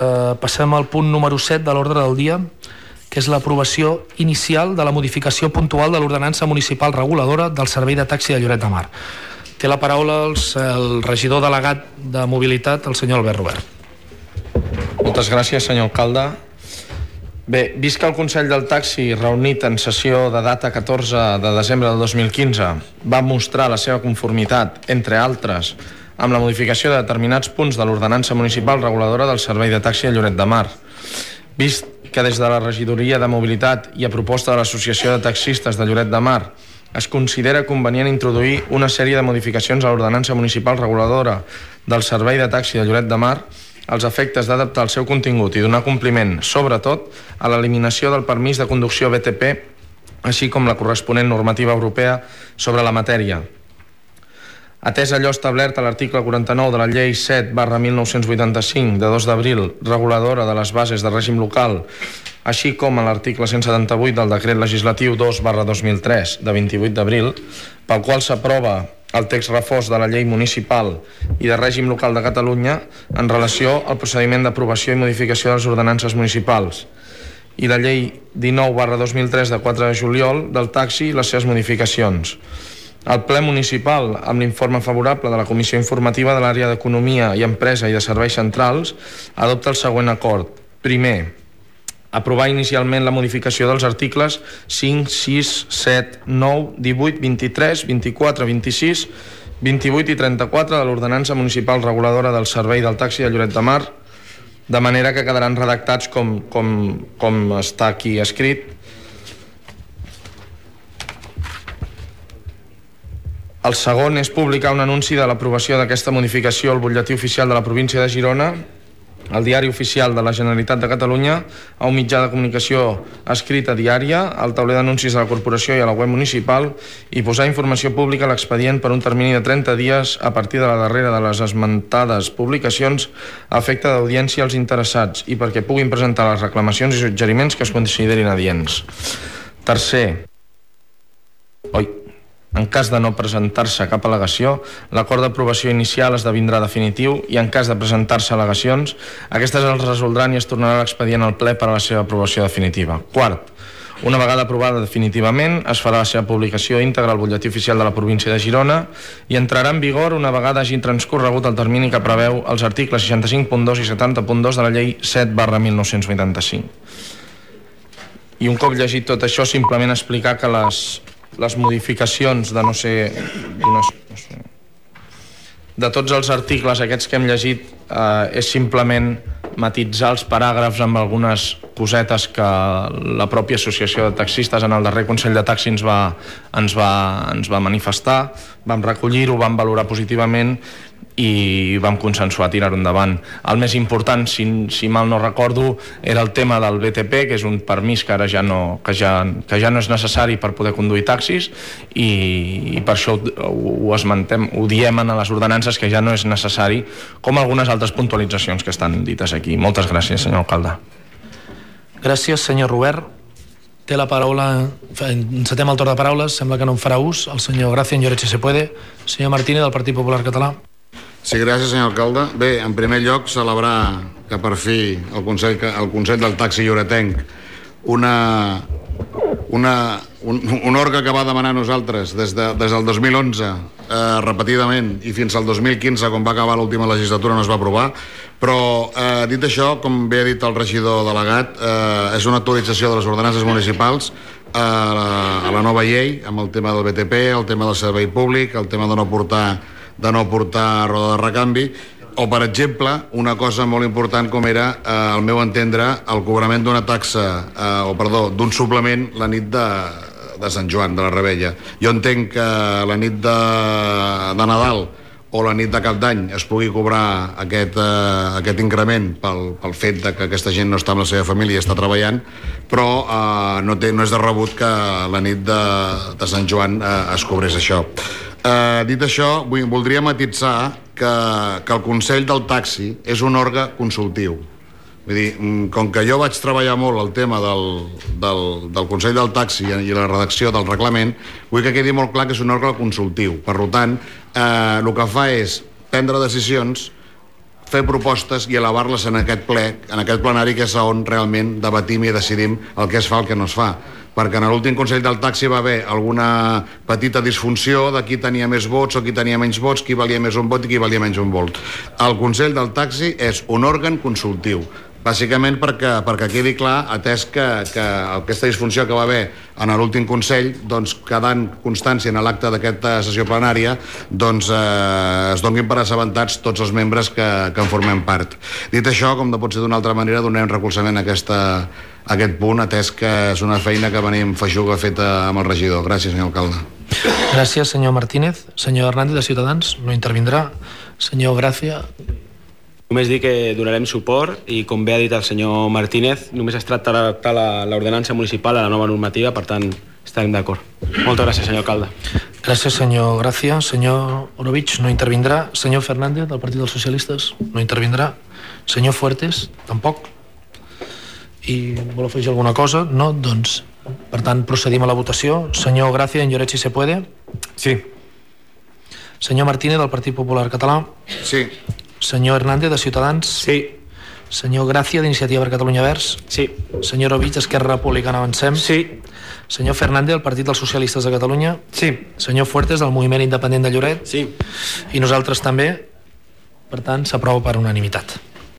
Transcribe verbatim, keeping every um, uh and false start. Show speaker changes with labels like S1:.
S1: eh, passem al punt número set de l'ordre del dia, que és l'aprovació inicial de la modificació puntual de l'ordenança municipal reguladora del servei de taxi de Lloret de Mar. Té la paraula el, el regidor delegat de mobilitat, el senyor Albert Robert.
S2: Moltes gràcies, senyor alcalde. Bé, vist que el Consell del Taxi, reunit en sessió de data catorze de desembre del dos mil quinze, va mostrar la seva conformitat, entre altres, amb la modificació de determinats punts de l'ordenança municipal reguladora del servei de taxi de Lloret de Mar, vist que des de la regidoria de mobilitat i a proposta de l'Associació de Taxistes de Lloret de Mar es considera convenient introduir una sèrie de modificacions a l'ordenança municipal reguladora del servei de taxi de Lloret de Mar als efectes d'adaptar el seu contingut i donar compliment, sobretot, a l'eliminació del permís de conducció B T P, així com la corresponent normativa europea sobre la matèria. Atès allò establert a l'article quaranta-nou de la llei set barra mil nou-cents vuitanta-cinc de dos d'abril, reguladora de les bases de règim local, així com a l'article cent setanta-vuit del decret legislatiu dos barra dos mil tres de vint-i-vuit d'abril, pel qual s'aprova el text refós de la llei municipal i de règim local de Catalunya en relació al procediment d'aprovació i modificació de les ordenances municipals, i la llei dinou barra dos mil tres de quatre de juliol del taxi i les seves modificacions. El ple municipal, amb l'informe favorable de la Comissió Informativa de l'Àrea d'Economia i Empresa i de Serveis Centrals, adopta el següent acord. Primer, aprovar inicialment la modificació dels articles cinc, sis, set, nou, divuit, vint-i-tres, vint-i-quatre, vint-i-sis, vint-i-vuit i trenta-quatre de l'ordenança municipal reguladora del servei del taxi de Lloret de Mar, de manera que quedaran redactats com, com, com està aquí escrit. El segon és publicar un anunci de l'aprovació d'aquesta modificació al butlletí oficial de la província de Girona, al diari oficial de la Generalitat de Catalunya, a un mitjà de comunicació escrita diària, al tauler d'anuncis de la corporació i a la web municipal, i posar informació pública a l'expedient per un termini de trenta dies a partir de la darrera de les esmentades publicacions a efecte d'audiència als interessats i perquè puguin presentar les reclamacions i suggeriments que es considerin adients. Tercer, oi, en cas de no presentar-se cap al·legació, l'acord d'aprovació inicial esdevindrà definitiu i en cas de presentar-se al·legacions, aquestes els resoldran i es tornarà l'expedient al ple per a la seva aprovació definitiva. Quart, una vegada aprovada definitivament, es farà la seva publicació íntegra al butlletí oficial de la província de Girona i entrarà en vigor una vegada hagi transcorregut el termini que preveu els articles seixanta-cinc punt dos i setanta punt dos de la llei set barra mil nou-cents vuitanta-cinc. I un cop llegit tot això, simplement explicar que les les modificacions de no sé, no sé de tots els articles aquests que hem llegit eh, és simplement matitzar els paràgrafs amb algunes cosetes que la pròpia associació de taxistes en el darrer Consell de Taxi ens va, ens va, ens va manifestar, vam recollir-ho, vam valorar positivament i vam consensuar tirar-ho endavant. El més important, si, si mal no recordo, era el tema del B T P, que és un permís que ara ja no, que ja, que ja no és necessari per poder conduir taxis i, i per això ho, ho esmentem, ho diem a les ordenances que ja no és necessari, com algunes altres puntualitzacions que estan dites aquí. Moltes gràcies, senyor alcalde.
S1: Gràcies, senyor Robert. Té la paraula, encetem el torn de paraules, sembla que no en farà ús, el senyor Gracia en Lloret se puede. Senyor Martínez, del Partit Popular Català.
S3: Sí, gràcies, senyor alcalde. Bé, en primer lloc, celebrar que per fi el Consell, el Consell del Taxi Lloretenc, una, una, un, un òrgan que va demanar a nosaltres des, de, des del dos mil onze eh, repetidament i fins al dos mil quinze, quan va acabar l'última legislatura, no es va aprovar. Però, eh, dit això, com bé ha dit el regidor delegat, eh, és una actualització de les ordenances municipals a la, a la nova llei, amb el tema del B T P, el tema del servei públic, el tema de no portar de no portar roda de recanvi, o, per exemple, una cosa molt important com era, eh, al meu entendre, el cobrament d'una taxa, eh, o perdó, d'un suplement la nit de, de Sant Joan, de la Rebella. Jo entenc que la nit de, de Nadal o la nit de Cap d'Any es pugui cobrar aquest, eh, aquest increment pel, pel fet de que aquesta gent no està amb la seva família i està treballant, però eh, no, té, no és de rebut que la nit de, de Sant Joan eh, es cobrés això. Eh, dit això, vull, voldria matitzar que, que el Consell del Taxi és un òrgan consultiu. Vull dir, com que jo vaig treballar molt el tema del, del, del Consell del Taxi i la redacció del reglament, vull que quedi molt clar que és un òrgan consultiu. Per tant, eh, el que fa és prendre decisions fer propostes i elevar-les en aquest ple, en aquest plenari, que és on realment debatim i decidim el que es fa, el que no es fa. Perquè en l'últim Consell del Taxi va haver alguna petita disfunció de qui tenia més vots o qui tenia menys vots, qui valia més un vot i qui valia menys un vot. El Consell del Taxi és un òrgan consultiu, bàsicament perquè, perquè quedi clar, atès que, que aquesta disfunció que va haver en l'últim Consell, doncs, quedant constància en l'acte d'aquesta sessió plenària, doncs eh, es donin per assabentats tots els membres que, que en formem part. Dit això, com no pot ser d'una altra manera, donem recolzament a, aquesta, a aquest punt, atès que és una feina que venim feixuga feta amb el regidor. Gràcies, senyor alcalde.
S1: Gràcies, senyor Martínez. Senyor Hernández, de Ciutadans, no intervindrà. Senyor Gràcia.
S4: Només dir que donarem suport i, com bé ha dit el senyor Martínez, només es tracta d'adaptar l'ordenança municipal a la nova normativa, per tant, estarem d'acord. Moltes gràcies, senyor alcalde.
S1: Gràcies, senyor Gràcia. Senyor Orovich, no intervindrà. Senyor Fernández, del Partit dels Socialistes, no intervindrà. Senyor Fuertes, tampoc. I vol afegir alguna cosa? No? Doncs, per tant, procedim a la votació. Senyor Gràcia, en lloret si se puede.
S5: Sí.
S1: Senyor Martínez, del Partit Popular Català.
S3: Sí.
S1: Senyor Hernández, de Ciutadans.
S4: Sí.
S1: Senyor Gràcia, d'Iniciativa per Catalunya Verds.
S4: Sí.
S1: Senyor Orovich, Esquerra Republicana Avancem.
S4: Sí.
S1: Senyor Fernández, del Partit dels Socialistes de Catalunya.
S5: Sí.
S1: Senyor Fuertes, del Moviment Independent de Lloret.
S4: Sí.
S1: I nosaltres també. Per tant, s'aprova per unanimitat.